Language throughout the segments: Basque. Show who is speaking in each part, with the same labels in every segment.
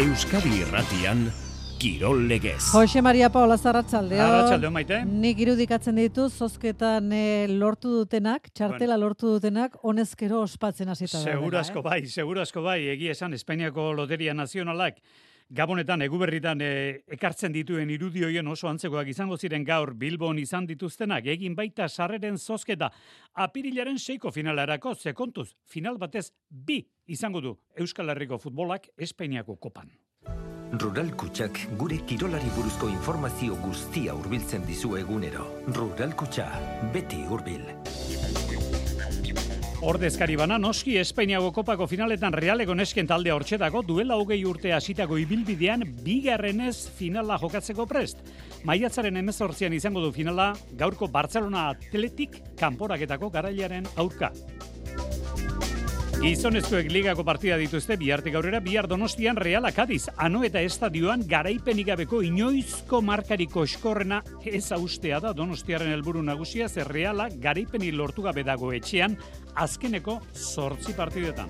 Speaker 1: Euskadi Irratian, Kirol Legez.
Speaker 2: Jose Maria Paula Arratsaldeon.
Speaker 3: Arratsaldeon, Maite.
Speaker 2: Nik irudikatzen ditu zozketan lortu dutenak, txartela lortu dutenak, honezkero ospatzen hasita da.
Speaker 3: Seguro asko bai, egia esan Espainiako Loteria Nazionalak Gabonetan, Eguberritan ekartzen dituen irudioien oso antzekoak izango ziren gaur Bilbon izan dituztenak, egin baita sarreren zozketa apirilaren 6ko finalerako, kontuz, final batez 2 izango du Euskal Herriko futbolak Espainiako kopan.
Speaker 4: Rural Kutxak gure kirolari buruzko informazio guztia hurbiltzen dizu egunero. Rural Kutxa, beti hurbil.
Speaker 3: Ordezkari bana, noski Espainiako kopako finaletan Realeko nesken taldea hortxetako duela 20 urte hasitako ibilbidean bigarrenez finala jokatzeko prest. Maiatzaren 18an izango du finala gaurko Barcelona Athletic kanporaketako garailaren aurka. Gizonezkoek ligako partida dituzte bihartik aurrera, bihar Donostian Reala Kadiz, Anoeta estadioan garaipenik gabeko inoizko markariko eskorrena ez austea da Donostiaren helburu nagusia, ze Reala garaipeni lortu gabe dago etxean azkeneko 8 partidetan.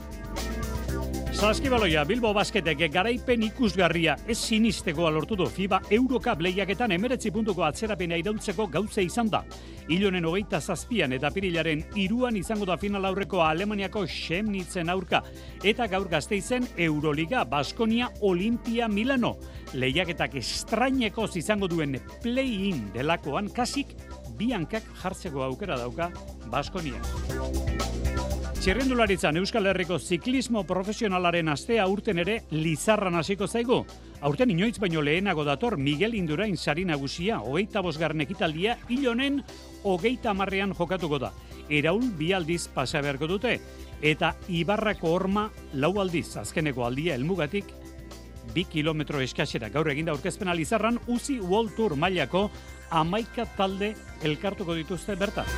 Speaker 3: Saskibaloia, Bilbo Basketek garaipen ikusgarria ez sinistekoa lortu du FIBA Eurocup lehiaketan 19 puntuko atzerapena iraultzeko gauza izan da. Ilonen 27an eta apirilaren 3an izango da final aurreko Alemaniako Chemnitzen aurka. Eta gaur Gasteizen Euroliga, Baskonia, Olimpia, Milano. Lehiaketak estrainekoz izango duen play-in delakoan kasik biankak jartzeko aukera dauka Baskonia. Txirrindularitzan Euskal Herriko ziklismo profesionalaren astea urten ere Lizarran hasiko zaigu. Aurten inoiz baino lehenago dator Miguel Indurain sari nagusia, 25. ekitaldia Ilonen 30an jokatuko da. Eraul 2 aldiz pasa beharko dute, eta Ibarrako Horma 4 aldiz, azkeneko aldia helmugatik 2 kilometro eskasera. Gaur eginda aurkezpena Lizarran, UCI World Tour mailako 11 talde elkartuko dituzte bertan.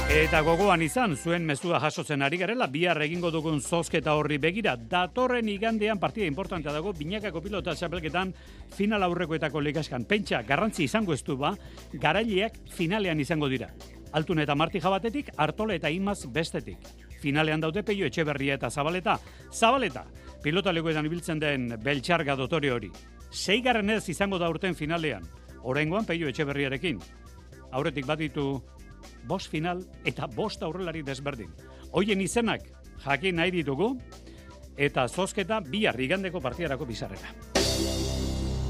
Speaker 3: Eta gogoan izan, zuen mezua jasotzen ari garela, bihar egingo dugun zozketa horri begira. Datorren igandean partida importantea dago, binakako pilota txapelketan final aurrekoetako ligaskan. Pentsa, garrantzi izango ez du ba, garaileak finalean izango dira. Altun eta Martija batetik, Artola eta Imaz bestetik. Finalean daude Peio Etxeberria eta Zabaleta. Zabaleta, pilota lekuetan ibiltzen den Beltxarga dotore hori. 6. izango da urten finalean, oraingoan Peio Etxeberriarekin. Aurretik bat ditu 5 final eta 5 aurrelari desberdin. Hoien izenak jakin nahi ditugu eta zozketa bihar igandeko partidarako bizarrera.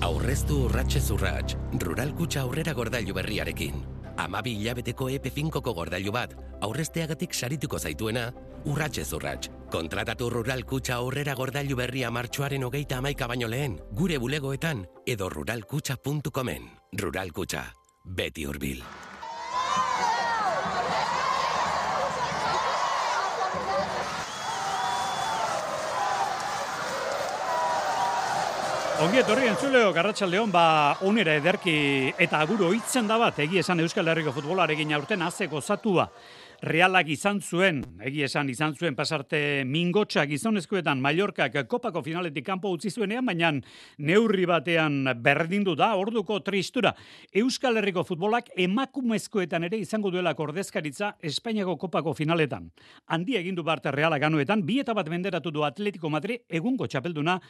Speaker 5: Aurreztu urratsez urrats, Rural Kutxa aurrera gordailu berriarekin. 12 hilabeteko EP5ko gordailu bat, aurrezteagatik sarituko zaituena, urratsez urrats. Kontratatu Rural Kutxa aurrera gordailu berria martxoaren 31 baino lehen, gure bulegoetan edo ruralkutxa.comen. Rural Kutxa, beti hurbil.
Speaker 3: Ongi etorri entzuleo, Arratsaldeon, onera ederki eta aguro hitzen da bat, egia esan Euskal Herriko futbolarekin aurten azeko zatua. Realak izan zuen pasarte mingotxa gizonezkoetan Mallorcak kopako finaletik kanpo utzi zuenean, baina neurri batean berdindu da, orduko tristura. Euskal Herriko futbolak emakumezkoetan ere izango duela ordezkaritza Espainiako kopako finaletan. Handi egindu barte Realak anuetan, 2-1 menderatu du Atletico Madrid egungo txapelduna,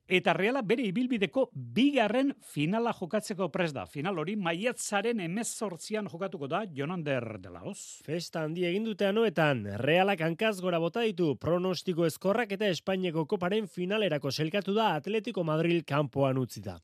Speaker 3: eta Reala bere ibilbideko 2. finala jokatzeko prest da. Final hori maiatzaren 18an jokatuko da Jonander de la Hoz.
Speaker 6: Festa handi egin dute anoetan, Realak hankaz gora bota ditu pronostiko ezkorrak eta Espainiako koparen finalerako selkatu da Atletico Madrid kanpoan utzi da.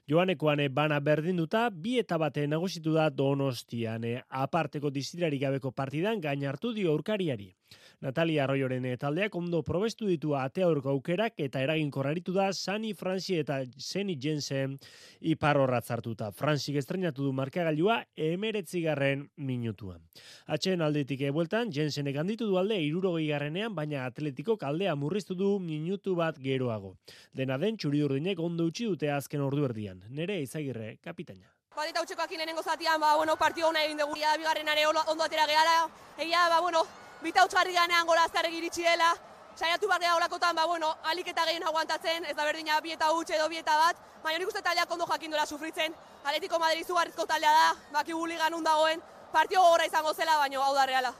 Speaker 6: Joanekoan bana berdinduta, 2-1 nagusitu da Donostian, aparteko distirarik gabeko partidan gain hartu dio aurkariari. Natalia Arroyoren taldeak ondo probestu ditu ate aurko aukerak eta eraginkorraritu da Sani Fransi eta Zeni Jensen iparrorratz hartuta. Fransik estrenatu du markagailua 19. minutuan. Atxeen aldetik bueltan, Jensenek handitu du alde 60. baina Atletikok aldea murriztu du minutu bat geroago. Dena den txuri-urdinek ondo utzi dute azken ordu erdian. Nere Izagirre, kapitaina.
Speaker 7: Eta utxekoak lehenengo zatian, partio hona egin dugu. Bigarrenare ondo atera gehala. Egia, bita utxarri ganean gora azkarrek iritsi dela. Saiatu behar geha olakotan, alik eta gehien aguantatzen, ez da berdina 2-1 edo 2-1, baina nik uste taldeak ondo jakin dola sufritzen. Atletico Madrid izugarrizko taldea da, bakigu ligan dagoen, partio gogorra izango zela, baina hau da Reala.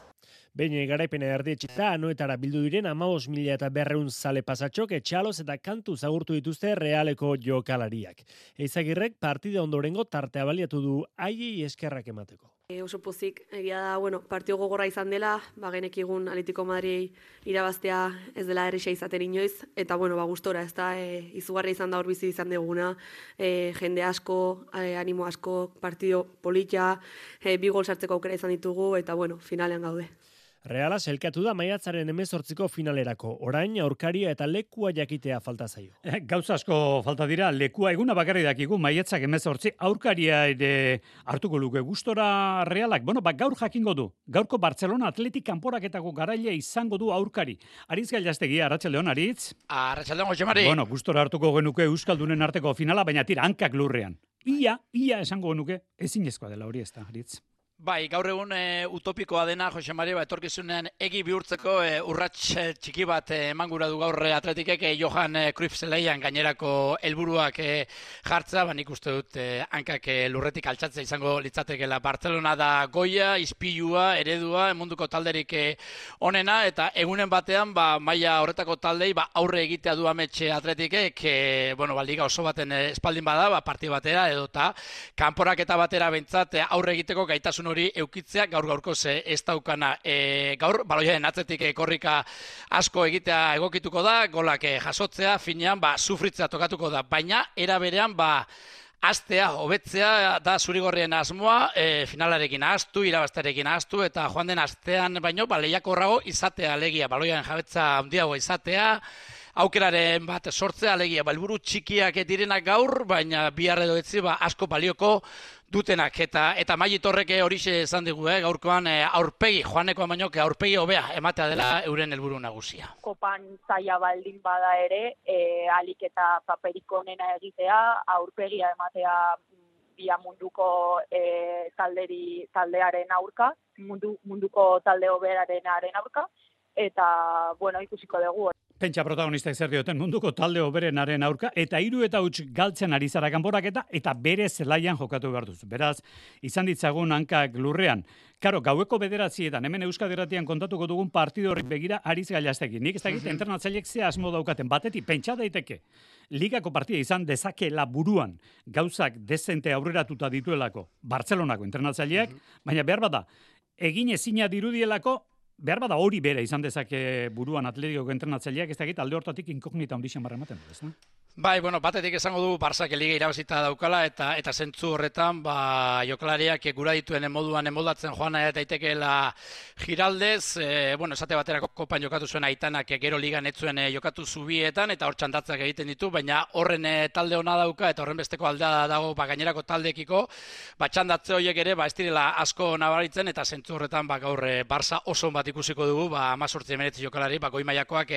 Speaker 6: Behin garaipena erdietxita, anoetara bildu diren 15.200 zale pasatxok, etxaloz eta kantu zagurtu dituzte Realeko jokalariak. Eizagirrek partida ondorengo tartea baliatu du haiei eskerrak emateko.
Speaker 7: Oso pozik, egia da, partio gogorra izan dela, genekigun Atletico Madrid irabaztea ez dela erresa izaten inoiz, eta gustora, ez da, izugarria izan da hor bizi izan duguna, jende asko, animo asko, partio polita, 2 gol sartzeko aukera izan ditugu, eta finalean gaude.
Speaker 6: Reala selkatu da maiatzaren 18ko finalerako. Orain aurkaria eta lekua jakitea falta zaio.
Speaker 3: Gauza asko falta dira, lekua eguna bakarri dakigu maiatzak 18, aurkaria ere hartuko luke gustora Realak. Gaur jakingo du. Gaurko Barcelona Atletik kanporaketako garaile izango du aurkari. Aritz Gailastegi, arratsaldeon Aritz.
Speaker 8: Arratsaldeon Josemari.
Speaker 3: Gustora hartuko genuke euskaldunen arteko finala, baina tira hankak lurrean. Ia esango genuke ezinezkoa dela hori ezta, Aritz.
Speaker 8: Bai, gaur egun utopikoa dena, Josemari, etorkizunean egi bihurtzeko urrats txiki bat eman gura du gaur Atletikek Johan Cruyff zeleian gainerako helburuak jartza, nik uste dut hankak lurretik altxatzea izango litzatekela. Barcelona da goia, ispilua, eredua, munduko talderik onena, eta egunen batean maila horretako taldei aurre egitea du ametxe Atletikek, liga oso baten espaldin bada, parti batera edota kanporaketa batera bentsat aurre egiteko gaitasun hori eukitzea gaur-gaurkoz ez daukana. Gaur, baloiaren atzetik korrika asko egitea egokituko da, golak jasotzea, finean, sufritzea tokatuko da, baina era berean, astea, hobetzea da zurigorrien asmoa, finalarekin ahaztu, irabaztarekin ahaztu, eta joan den astean baino, lehiakorrago izatea alegia, baloiaren jabetza handiago izatea, aukeraren bat sortzea alegia, helburu txikiak direnak gaur, baina bihar edo etzi asko balioko dutenak, eta Mailit Torrek horixe esan digu, gaurkoan aurpegi, joanekoan baino, aurpegi hobea ematea dela euren helburu nagusia.
Speaker 9: Kopan zaila baldin bada ere, alik eta paperik onena egitea, aurpegia ematea bia munduko taldearen aurka, munduko talde hoberenaren aurka, eta, ikusiko dugu.
Speaker 3: Pentsa protagonistak zer dioten munduko talde hoberenaren aurka, eta 3-huts galtzen ari zara kanporaketa, eta bere zelaian jokatu behar duzu. Beraz, izan ditzagun hankak lurrean. Karo, gaueko 9:00 hemen Euskadi Irratian kontatuko dugun partido horrik begira Aritz Gailastegi. Nik ez dakit internatzaileek ze asmo daukaten. Batetik, pentsa daiteke, ligako partida izan dezakela buruan gauzak dezente aurreratuta dituelako Bartzelonako internatzaileak, baina behar bada, egin ezina dirudielako, behar bada hori bere izan dezake buruan Atletikoko entrenatzaileak, ez dakit alde hortatik inkognita handixen barra ematen du, ez da?
Speaker 8: Bai, batetik esango du Barsak liga irabazita daukala, eta zentzu horretan, jokalariak gura dituen moduan emoldatzen joan daitekeela Giraldez, esate baterako kopan jokatu zuen Aitanak gero ligan etzuen jokatu zubietan, eta hor txandatzak egiten ditu, baina horren talde ona dauka, eta horren besteko aldea dago gainerako taldeekiko, txandatze horiek ere, ez direla asko nabaritzen, eta zentzu horretan, gaur Barsa oso bat ikusiko dugu, 18-19 jokalari, goi mailakoak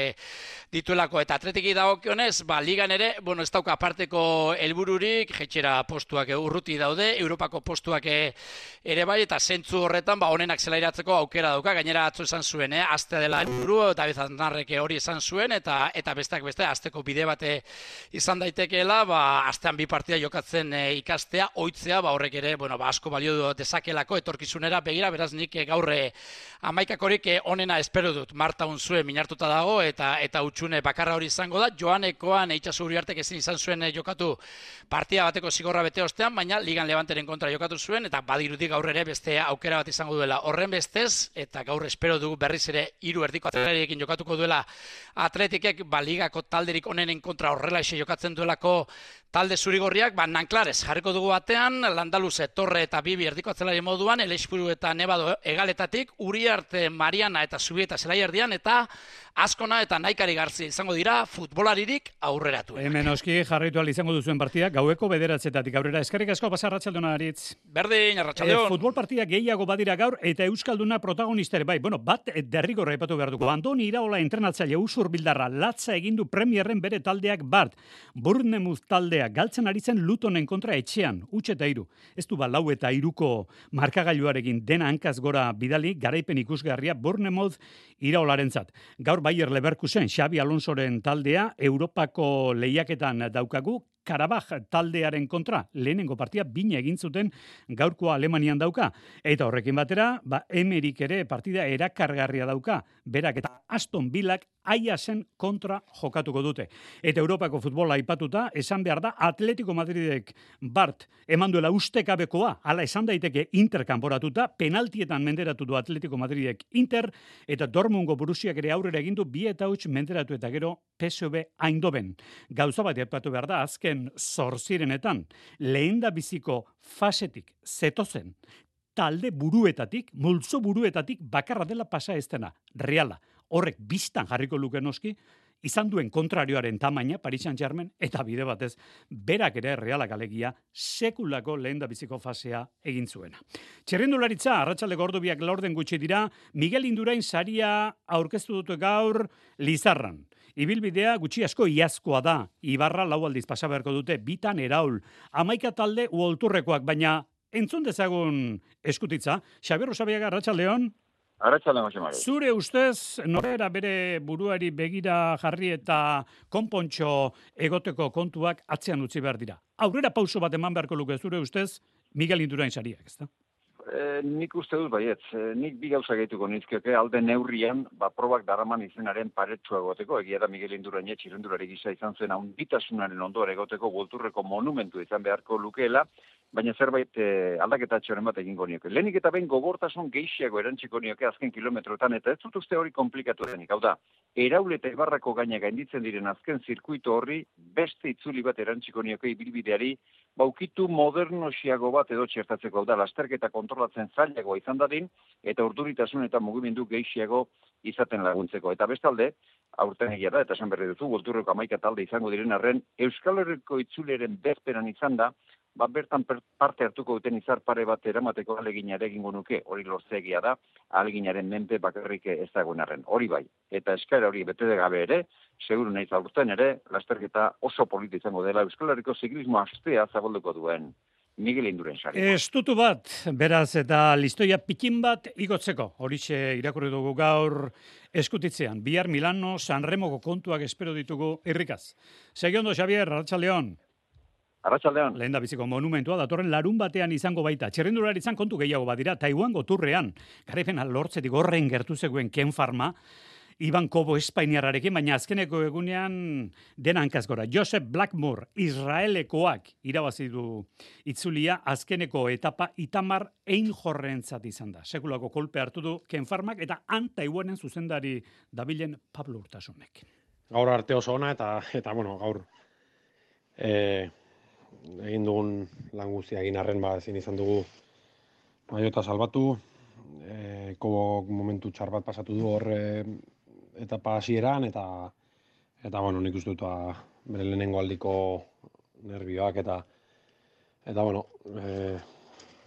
Speaker 8: dituelako, eta Atletiki dagokionez, ligan ere, ez dauka aparteko helbururik, jetxera postuak urruti daude, Europako postuak ere bai, eta zentzu horretan, onenak zelairatzeko aukera dauka, gainera atzo esan zuen, aztea dela helburu, David Aznarrek hori esan zuen, eta besteak beste, azteko bide bate izan daitekeela, astean 2 partida jokatzen ikastea, ohitzea, horrek ere, asko balio dezakelako etorkizunera begira, beraz nik gaur 11-korik onena espero dut, Marta Unzue minartuta dago, eta utxune bakarra hori izango da, Joanekoan Itxaso Uriartek ezin izan zuen jokatu partida bateko zigorra bete ostean, baina Ligan Levanteren kontra jokatu zuen, eta badirudi gaur ere beste aukera bat izango duela. Horren bestez, eta gaur espero dugu berriz ere 3 erdiko atletariekin jokatuko duela Atletikek, ligako talderik onenen kontra horrela jokatzen duelako talde zurigorriak, Nanklarez jarriko dugu batean, Landaluze, Torre eta Bibi erdiko atzelari moduan, Elexpuru eta Nebado egaletatik, Uriarte, Mariana eta Zubieta zelai erdian, eta Azkona eta Naikari Garzi izango dira futbolaririk aurreratu.
Speaker 3: Hemen oski jarraitu izango duzuen partida, gaueko 9:00 aurrera. Eskerrik asko, pasa arratsaldona Aritz.
Speaker 8: Berdin, arratsaldeon.
Speaker 3: Futbol partida gehiago badira gaur, eta Euskalduna protagonistere bai. Bat derrigorra aipatu behar dugu. Andoni Iraola entrenatzaile Usur Bildarra latza egindu Premierren bere taldeak bart. Bournemouth taldea galtzen ari zen Lutonen kontra etxean, 3-3. Ez du 4-3ko markagailuarekin dena hankaz gora bidali, garaipen ikusgarria Bournemouth Iraolarentzat. Gaur Bayer Leverkusen Xabi Alonsoren taldea Europako lehiaketan daukagu, Karabaj taldearen kontra, lehenengo partia bina egin zuten gaurkoa Alemanian dauka. Eta horrekin batera, Emerik ere partida erakargarria dauka. Berak eta Aston Villak Aiasen kontra jokatuko dute. Eta Europako futbola aipatuta, esan behar da Atletico Madridek Bart eman duela ustekabekoa, hala esan daiteke Inter kanporatuta, penaltietan menderatu du Atletico Madridek Inter, eta Dortmundgo Borussiak ere aurrera egindu 2-8 menderatu eta gero PSV Eindhoven. Gauza bat aipatu behar da, azken zorzirenetan, lehenda biziko fasetik zetozen, talde buruetatik, multzo buruetatik bakarra dela pasa ez dena, Reala. Horrek biztan jarriko luke noski, izan duen kontrarioaren tamaina, Paris Saint-Germain, eta bide batez, berak ere Realak alegia, sekulako lehendabiziko fasea egin zuena. Txirrindularitza, arratsaldeko ordu 2 gutxi dira, Miguel Indurain saria aurkeztu dute gaur Lizarran. Ibilbidea gutxi asko iazkoa da, Ibarra 4 aldiz pasa beharko dute, bitan Eraul, 11 talde uolturrekoak, baina entzun dezagun eskutitza. Xabier Rosabiaga, arratsaldeon.
Speaker 10: Arratsaldeon, Jose Mari.
Speaker 3: Zure ustez, norera bere buruari begira jarri eta konpontxo egoteko kontuak atzean utzi behar dira. Aurrera pauso bat eman beharko luke zure ustez, Miguel Indurain sariak, ezta?
Speaker 10: Nik uste dut baietz, nik bi gauza gehituko nizkioke, alde neurrian, probak daraman izenaren paretsua egoteko, egia da Miguel Indurain txirrindulari gisa izan zen handitasunaren ondoa egoteko Golturreko monumentu izan beharko lukeela, baina zerbait aldaketa txoren bat egingo nioke. Lehenik eta behin gogortasun gehiago erantziko nioke azken kilometroetan, eta ez dut uste hori komplikatu denik. Hau da, Eraul eta Ibarrako gaina gainditzen diren azken zirkuito horri beste itzuli bat erantziko nioke ibilbideari, baukitu modernosiago bat edo txertatzeko. Hau da, lasterketa kontrolatzen zailagoa izan dadin, eta urduritasun eta mugimendu gehiago izaten laguntzeko. Eta bestalde, aurten egia da, eta esan berri duzu, Golturreko 11 talde izango diren arren, Euskal Herriko itzuleren bezperan izan da, bertan parte hartuko duten izar pare bat eramateko aleginare egingo nuke, hori lortzegia da, aleginaren menpe bakarrik ez dagoen arren. Hori bai, eta eskaera hori bete gabe ere, seguru naiz aurten ere, lasterketa oso polita izango dela Euskal Herriko ziklismo astea zabalduko duen Miguel Indurain sari.
Speaker 3: Estutu bat, beraz, eta listoia pikin bat igotzeko. Horixe irakurri dugu gaur eskutitzean. Bihar Milano, Sanremoko kontuak espero ditugu irrikaz. Segiondo, Xavier, arratsaldeon.
Speaker 10: Arratsaldeon.
Speaker 3: Lehen da biziko monumentua, datorren larun batean izango baita. Txirrindularitzan kontu gehiago badira, Taiwango turrean, garaipena lortzetik horren gertu zegoen Ken Pharma, Iban Kobo espainiarrarekin, baina azkeneko egunean dena hankaz gora. Joseph Blackmore, Israelekoak irabazi du itzulia, azkeneko etapa Itamar Einhorrentzat izan da. Sekulako kolpe hartu du Ken Pharmak eta Taiwanen zuzendari dabilen Pablo Urtasunek.
Speaker 11: Gaur arte oso ona eta bueno, gaur egin dugun lan guztia egin arren ezin izan dugu maiota salbatu. Kobo momentu txar bat pasatu du hor etapa hasieran eta bueno, nik uste dut bere lehenengo aldiko nervioak eta bueno,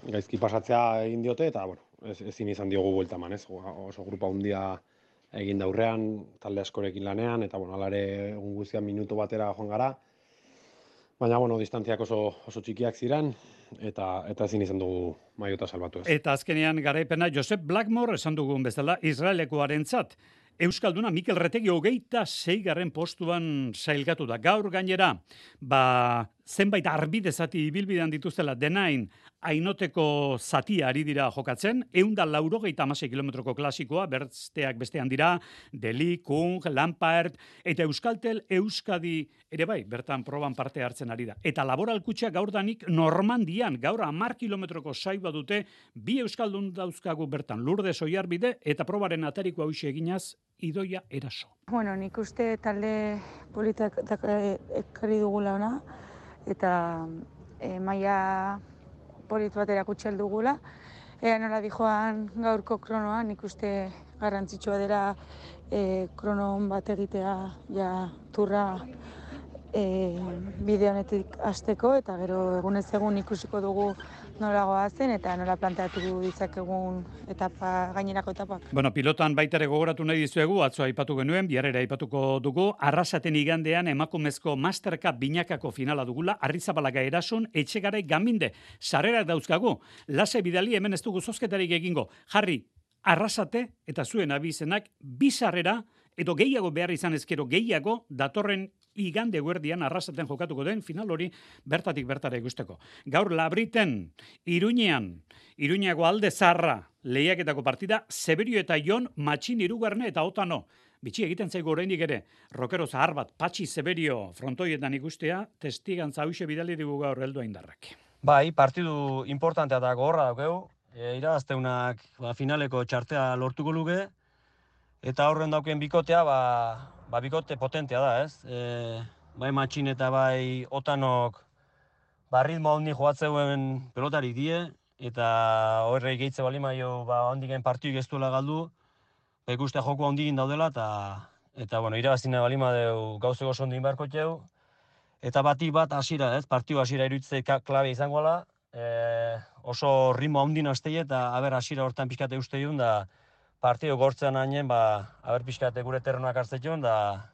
Speaker 11: gaizki pasatzea egin diote eta bueno, ezin izan diogu buelta eman, ez? Oso grupa handia egin da aurrean, talde askorekin lanean eta bueno, hala ere egun guztian minutu batera joan gara. Baina, bueno, distantziak oso txikiak ziren, eta ezin izan dugu maiota salbatu ez.
Speaker 3: Eta azkenean garaipena Joseph Blackmore esan dugun bezala Israelekoarentzat. Euskalduna Mikel Retegi 26. postuan sailkatu da. Gaur gainera, zenbait arbide zati ibilbidean dituztela denain Ainoteko zatia ari dira jokatzen, 186 kilometroko klasikoa, bestean dira, Deli, Kung, Lampard, eta Euskaltel Euskadi ere bai, bertan proban parte hartzen ari da. Eta laboralkutxa gaur danik Normandian, gaur 10 kilometroko saiba dute, 2 Euskaldun dauzkagu bertan, Lourdes Oiarbide, eta probaren atariko hauxe eginaz, Idoia Eraso.
Speaker 12: Bueno, nik uste talde politak ekarri dugula ona, eta maila polit bat erakutsi dugula. Ea nola dijoan gaurko kronoa, nik uste garrantzitsua dela krono bat egitea ja turra bide honetik hasteko eta gero egunez egun ikusiko dugu nola goazen eta nola planteatu ditzakegun gainerako etapak.
Speaker 3: Bueno, pilotan baitare gogoratu nahi dizuegu, atzo aipatu genuen, biharrera aipatuko dugu, Arrasaten igandean emakumezko Master Cup binakako finala dugula, Arrizabalaga Erason, Etxegarai Gaminde, sarrerak dauzkagu, lase bidali hemen ez dugu zozketarik egingo, jarri, Arrasate eta zuen abizenak, 2 sarrera edo gehiago behar izan ezkero gehiago datorren igande guerdian arrasaten jokatuko den final hori bertatik bertara ikusteko. Gaur Labriten, Iruñeako Alde Zarra lehiaketako partida, Zeberio eta Jon, Matxin Irugarne eta Otano. Bitxi egiten zaigu oraindik ere, rokero zahar bat, Patxi Zeberio frontoietan ikustea, testigantza hauxe bidali digu gaur heldu indarrak.
Speaker 13: Bai, partidu importantea da gogorra daukeu, irabazteunak finaleko txartea lortuko luke, eta horren dauken bikotea, bikote potentea da, ez? Bai Matxin eta bai Otanok ritmo handi joatzeuen pelotari die, eta horrei gehitze balimaio handiken partidu ez duela galdu, ikustea joko handikin daudela, eta irabazina balimadeu gauzeko sondin beharko txeu, eta batik bat hasiera, ez? Partidu hasiera iruditzei klabe izangoela, oso ritmo handin hastei eta hasiera hortan pixkate uste joan, da partidu gortzean hainen, pixkate gure terrenoak hartzetion, da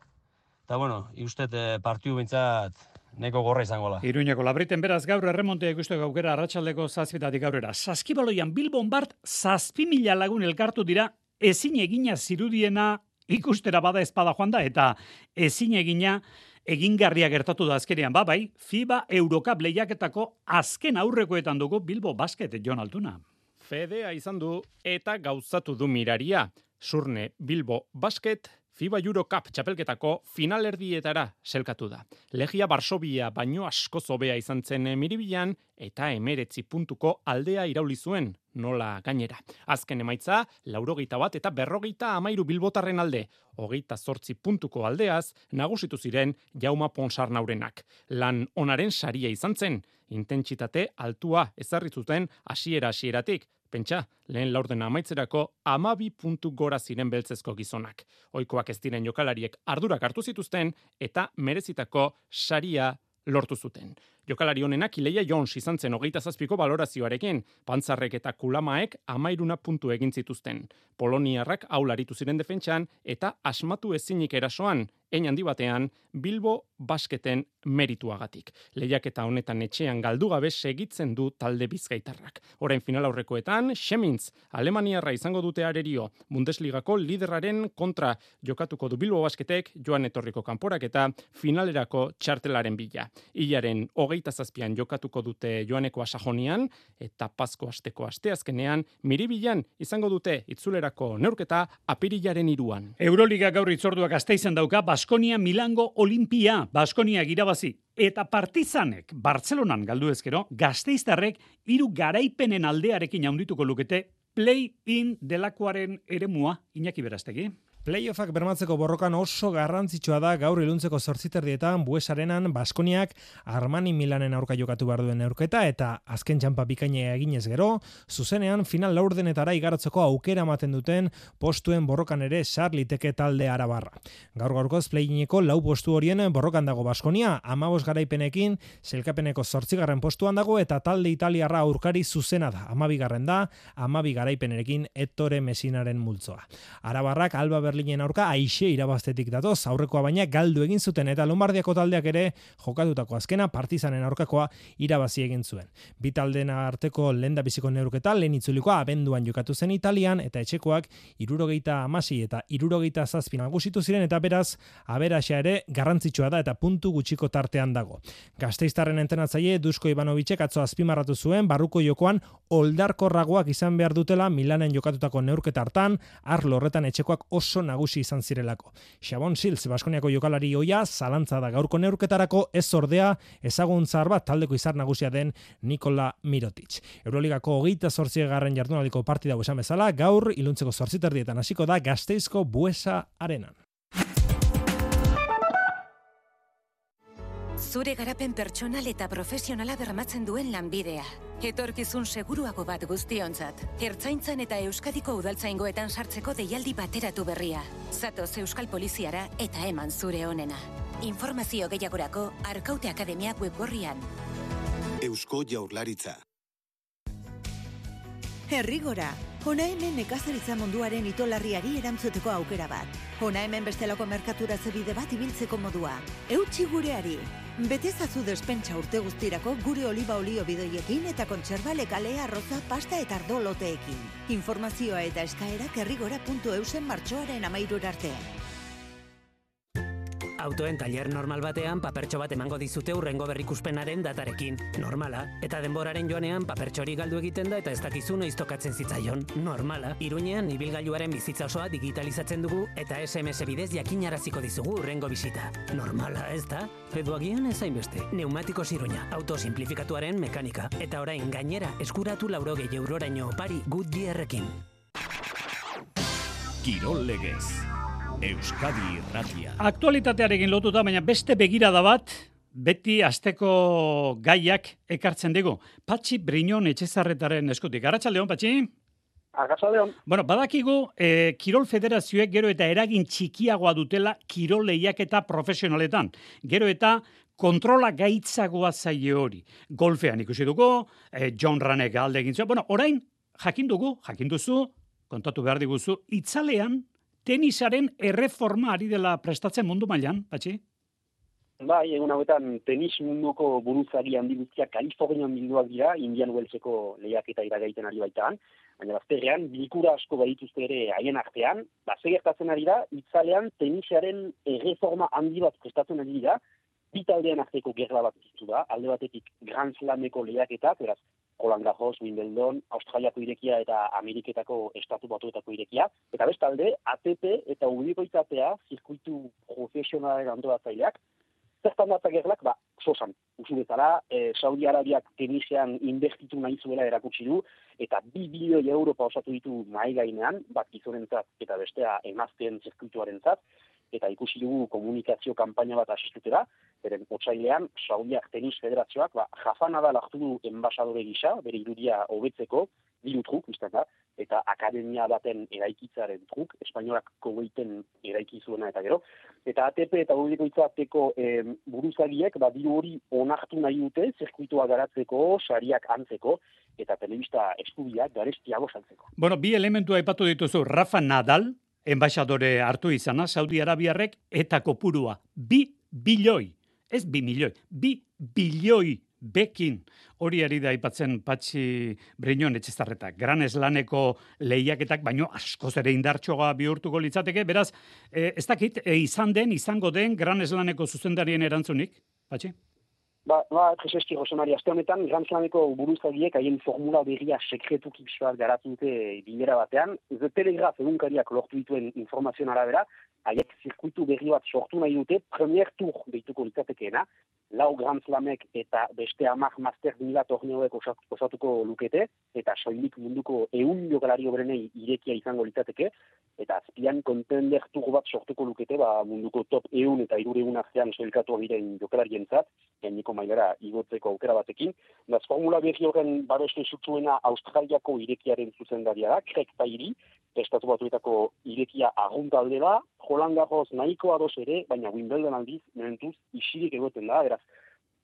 Speaker 13: ikustet partidu bintzat neko gorra izangola.
Speaker 3: Iruñeko Labriten beraz gaur erremontea ikusteko aukera arratsaldeko 7:00 aurrera. Saskibaloian Bilbon bart 7.000 lagun elkartu dira, ezin egina zirudiena ikustera bada espada joan da, eta ezin egina egingarria gertatu da azkenean. Bai, FIBA Eurocup lehiaketako azken aurrekoetan dugu Bilbo Basket, Jon Altuna.
Speaker 14: Fedea izan du eta gauzatu du miraria. Surne Bilbo Basket FIBA Eurocup txapelketako finalerdietara selkatu da. Legia Varsovia baino asko zobea izan zen Miribilan eta 19 puntuko aldea irauli zuen, nola gainera. Azken emaitza, 81 eta 53 bilbotarren alde, 28 puntuko aldeaz, nagusitu ziren Jauma Ponsarnaurenak. Lan onaren saria izan zen, intentsitate altua ezarri zuten hasieratik. Pentsa, lehen laurdena amaitzerako 12 puntu gora ziren beltzezko gizonak. Ohikoak ez diren jokalariek ardurak hartu zituzten eta merezitako saria lortu zuten. Jokalari honenak Ileia Jones izan zen 27ko balorazioarekin, Pantzarrek eta Kulamaek 13 puntu egin zituzten. Poloniarrak aularitu ziren defentsan eta asmatu ezinik erasoan, hein handi batean Bilbo Basketen merituagatik. Lehiaketa honetan etxean galdu gabe segitzen du talde bizkaitarrak. Orain final aurrekoetan, Xemintz, Alemaniarra izango dute arerio, Bundesligako liderraren kontra jokatuko du Bilbo Basketek, joan etorriko kanporak eta finalerako txartelaren bila. Ilaren 27an jokatuko dute joaneko Asajonian eta Pasko asteko asteazkenean Miribilan izango dute itzulerako neurketa apirilaren 3an.
Speaker 3: Euroliga gaur itzorduak Gasteizen dauka Baskonia Milango Olimpia. Baskonia irabazi eta Partizanek Bartzelonan galdu ezkero, Gasteiztarrek 3 garaipenen aldearekin handituko lukete play-in delakoaren eremua. Iñaki Berastegi.
Speaker 15: Playoffak bermatzeko borrokan oso garrantzitsua da gaur iluntzeko 8:00 Bues Arenan Baskoniak Armani Milanen aurka jokatu behar duen neurketa eta azken txanpa bikaina eginez gero, zuzenean final laurdenetara igarotzeko aukera ematen duten postuen borrokan ere sar liteke talde arabarra. Gaur-gaurkoz play-ineko 4 postu horien borrokan dago Baskonia, 15 garaipenekin, selkapeneko 8. postuan dago eta talde italiarra aurkari zuzena da, 12. da, 12 garaipenerekin Ettore Messinaren multzoa. Arabarrak Alba Berlinen aurka aixe irabaztetik datoz, aurrekoa baina galdu egin zuten eta Lombardiako taldeak ere jokatutako azkena Partizanen aurkakoa irabazi egin zuen. Bi taldeen arteko lehendabiziko neurketa lehen itzulikoa abenduan jokatu zen Italian eta etxekoak 76 eta 77 nagusitu ziren eta beraz aberaxa ere garrantzitsua da eta puntu gutxiko tartean dago. Gasteiztarren entrenatzaile Dusko Ivanovicek atzo azpimarratu zuen barruko jokoan oldarkorragoak izan behar dutela Milanen jokatutako neurketa hartan, arlo horretan etxekoak oso nagusi izan zirelako. Xabon Silz, Baskoniako jokalari ohia, zalantza da gaurko neurketarako, ez ordea ezaguntzar bat taldeko izar nagusia den Nikola Mirotic. Euroligako 28. jardunaldiko partida esan bezala, gaur iluntzeko 8:30 hasiko da Gasteizko Buesa Arenan.
Speaker 16: Zure garapen pertsonal eta profesionala bermatzen duen lanbidea. Etorkizun seguruago bat guztiontzat. Ertzaintzan eta Euskadiko udaltzaingoetan sartzeko deialdi bateratu berria. Zatoz Euskal Poliziara eta eman zure onena. Informazio gehiagorako Arkaute Akademia webgorrian.
Speaker 17: Eusko Jaurlaritza.
Speaker 18: Herrigora, hona hemen nekazaritza munduaren itolarriari erantzuteko aukera bat. Hona hemen bestelako merkaturatze bide bat ibiltzeko modua. Eutsi gureari. Betezazu despentsa urte guztirako gure oliba olio bidoiekin eta kontserba lekale, arroza, pasta eta ardo loteekin. Informazioa eta eskaerak herrigora.eusen martxoaren 13 arte.
Speaker 19: Autoen tailer normal batean papertxo bat emango dizute hurrengo berrikuspenaren datarekin. Normala. Eta denboraren joanean papertxori galdu egiten da eta ez dakizu noiz tokatzen zitzaion. Normala. Iruñean ibilgailuaren bizitza osoa digitalizatzen dugu eta SMS bidez jakinaraziko dizugu hurrengo bisita. Normala, ez da? Edo agian ez hainbeste. Neumatikos Iruña. Auto simplifikatuaren mekanika. Eta orain gainera eskuratu 80 euroraino opari Goodyearrekin.
Speaker 1: Kirol Legez. Euskadi Irratia.
Speaker 3: Aktualitatearekin lotuta, baina beste begirada bat, beti asteko gaiak ekartzen digu. Patxi Briñon Etxezarretaren eskutik. Arratsaldeon, Patxi?
Speaker 20: Arratsaldeon.
Speaker 3: Bueno, badakigu, Kirol Federazioek gero eta eragin txikiagoa dutela kirol lehiaketa profesionaletan. Gero eta kontrola gaitzagoa zaie hori. Golfean ikusi dugu, John Ranek alde egin zuen. Bueno, orain, jakin duzu, kontatu behar diguzu, itzalean tenisaren erreforma ari dela prestatzen mundu mailan, Patxi?
Speaker 20: Bai, egun hauetan tenis munduko buruzagi handi guztiak Kalifornian bilduak dira, Indian Wellseko lehiaketa iragaiten ari baitaan, baina bazterrean, bilkura asko badituzte ere haien artean, gertatzen ari da, itzalean tenisaren erreforma handi bat prestatzen ari dira, bi taldean arteko gerla bat ditu da, alde batetik Grand Slameko lehiaketak, beraz, Roland Garros, Wimbledon, Australiako irekia eta Ameriketako Estatu Batuetako irekia, eta bestalde, ATP eta ubikoitzatea zirkuitu profesionalaren antolatzaileak, zertan data gerlak, sosan, usu bezala, Saudi Arabiak tenisean inbertitu nahi zuela erakutsi du, eta 2 bilioi euro pausatu ditu nahi gainean, bat gizonentzat eta bestea emazteen zirkuituarentzat, eta ikusi dugu komunikazio kanpaina bat asistutera, beren otsailean, Saudiak Tenis Federazioak, jafana da lartu du enbasadore gisa, bere irudia hobetzeko, diru truk, izan da, eta akademia baten eraikitzaren truk, espainolak kogeiten eraiki zuena eta gero, eta ATP eta ubikoitzateko buruzagiek, diru hori onartu nahi dute, zirkuitua garatzeko, sariak antzeko, eta telebista eskubiak garestiago saltzeko.
Speaker 3: Bueno, bi elementu aipatu dituzu, Rafa Nadal, enbaixadore hartu izana, Saudi Arabiarrek, eta kopurua, 2 bilioi, ez 2 milioi, 2 bilioi bekin, hori ari da aipatzen Patxi Briñon Etxezarreta. Gran Slameko lehiaketak, baino askoz ere indartxoa bihurtuko litzateke, beraz, ez dakit, izango den Gran Slameko zuzendarien erantzunik, Patxi?
Speaker 20: Prezeski, Rosemari, aste honetan, Grand Slameko buruzagiek haien formula berria sekretuki pixoak garatu dute bilera batean. The Telegraph egunkariak lortu dituen informazioan arabera, haiek zirkuitu berri bat sortu nahi dute, premier tour deituko litzatekeena, 4 Grand Slamek eta beste 10 Master 1000 torneoek osatuko lukete, eta soilik munduko 100 jokalari obrenei irekia izango litzateke, eta azpian contender tour bat sortuko lukete, munduko top 100 eta 300 artean soilkatu diren jokalarientzat, gaineko mailara igotzeko aukera batekin. Beraz, formula berri horren babestu zutzuena Australiako irekiaren zuzendaria da, Craig Tiley, Estatu Batuetako irekia arruntalde da, Roland Garros nahiko ados ere, baina Wimbledon aldiz, momentuz, isirik egoten da, beraz,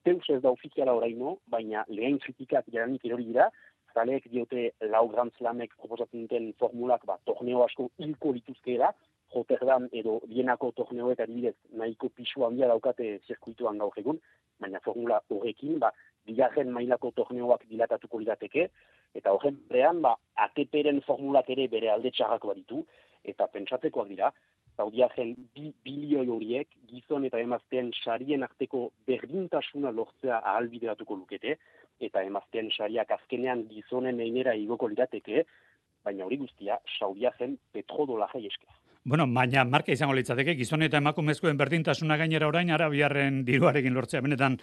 Speaker 20: teus ez da ofiziala oraino, baina lehen kritikak jaranik erori dira, zaleek diote 4 Grand Slamek proposatzen duten formulak, torneo asko hilko lituzkeela, Rotterdam edo Vienako torneoek adibidez nahiko pisu handia daukate zirkuituan gaur egun, baina formula horrekin, bigarren mailako torneoak dilatatuko lirateke, eta horren berean, ATP-ren formulak ere bere alde txarrako baditu, eta pentsatzekoak dira, Saudiaren 2 bilioi horiek, gizon eta emazteen sarien arteko berdintasuna lortzea ahalbideratuko lukete, eta emazteen sariak azkenean gizonen einera igoko lirateke, baina hori guztia Saudiaren petrodolajei esker.
Speaker 3: Bueno, baina marka izango litzateke, gizon eta emakumezkoen berdintasuna gainera orain Arabiarren diruarekin lortzea, benetan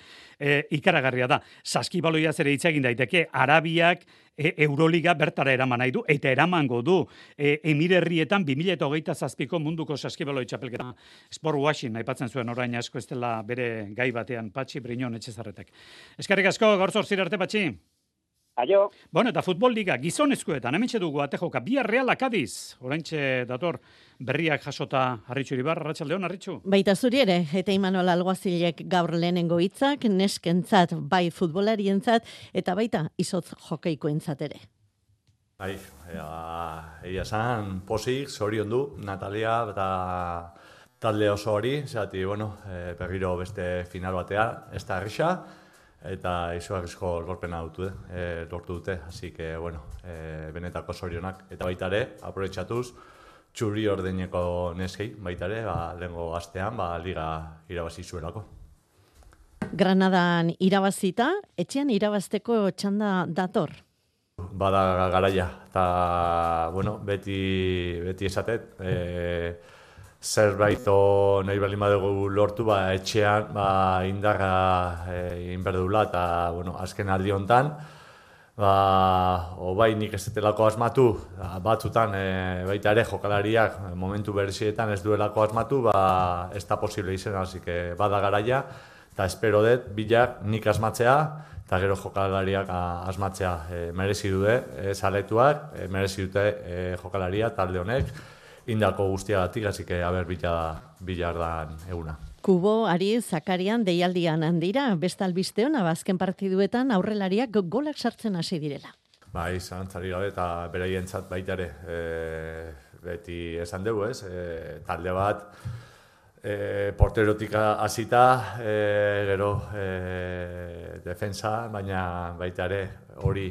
Speaker 3: ikaragarria da. Saskibaloiaz ere hitz egin daiteke, Arabiak Euroliga bertara eraman nahi du, eta eramango du Emirerrietan 2027ko munduko saskibaloi txapelketa. Sport washing aipatzen zuen orain asko ez dela bere gai batean, Patxi Briñon Etxezarretek. Eskerrik asko, gaur 8 arte, Patxi.
Speaker 20: Aio.
Speaker 3: Bueno, eta futbol liga, gizonezkoetan, hementxe dugu atejoka, Villarreal Kadiz, oraintxe dator berriak jasota Arritxu Iribar, arratsaldeon Arritxu.
Speaker 21: Baita zuri ere, eta Imanol Alguazilek gaur lehenengo hitzak, neskentzat, bai futbolarientzat, eta baita izotz jokeikoentzat ere.
Speaker 22: Bai, egia esan, posik, zorion du, Natalia eta talde oso hori, zati, berriro beste final batea, ez da errisa, eta izugarrizko lorpena lortu dute, así que, benetako zorionak. Eta baita ere, aprobetxatuz, txuri ordeneko neskei, baita ere, lehengo astean, liga irabazi zuelako.
Speaker 21: Granadan irabazita, etxean irabazteko txanda dator.
Speaker 22: Bada garaia, eta, bueno, beti esatet, zerbait nahi baldin badugu lortu, etxean indarra inberdula, eta, bueno, azken aldi hontan, bai nik ez dutelako asmatu, batzutan baita ere jokalariak momentu berezietan ez duelako asmatu, ez da posible izan, hasi que bada garaia, eta espero dut bilak nik asmatzea, eta gero jokalariak asmatzea merezi dute, zaletuak, merezi dute jokalaria talde honek, indako guztiagatik, hasi que aber bilar dan eguna.
Speaker 21: Kubo, Ari, Zakarian, deialdian handira, beste albiste hona, azken partiduetan aurrelariak golak sartzen hasi direla.
Speaker 22: Bai, zalantzari gabe, eta beraientzat baita ere, beti esan dugu, talde bat, porterotik hasita, gero defensa, baina baita ere hori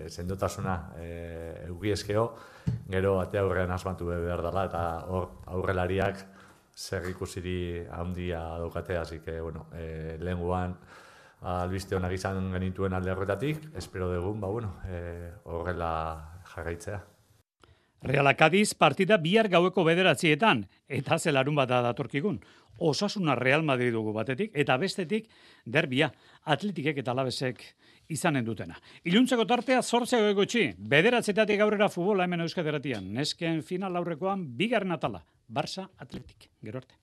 Speaker 22: sendotasuna eugieskeo, gero ate aurrean asmatu behar dela, eta hor aurrelariak zer ikusiri handia daukate, hasi que, bueno, lehenguan albiste honak izan genituen alde horretatik, espero dugun, horrela jarraitzea.
Speaker 3: Reala Cádiz partida bihar gaueko 9:00 eta zelarun bat datorkigun. Osasuna Real Madrid dugu batetik, eta bestetik derbia Atletikek eta Alavesek izanen dutena. Iluntzeko tartea 8:00 9:00 aurrera futbola hemen Euskadi Irratian. Nesken final aurrekoan bigarren atala, Barça Atletik. Gero arte.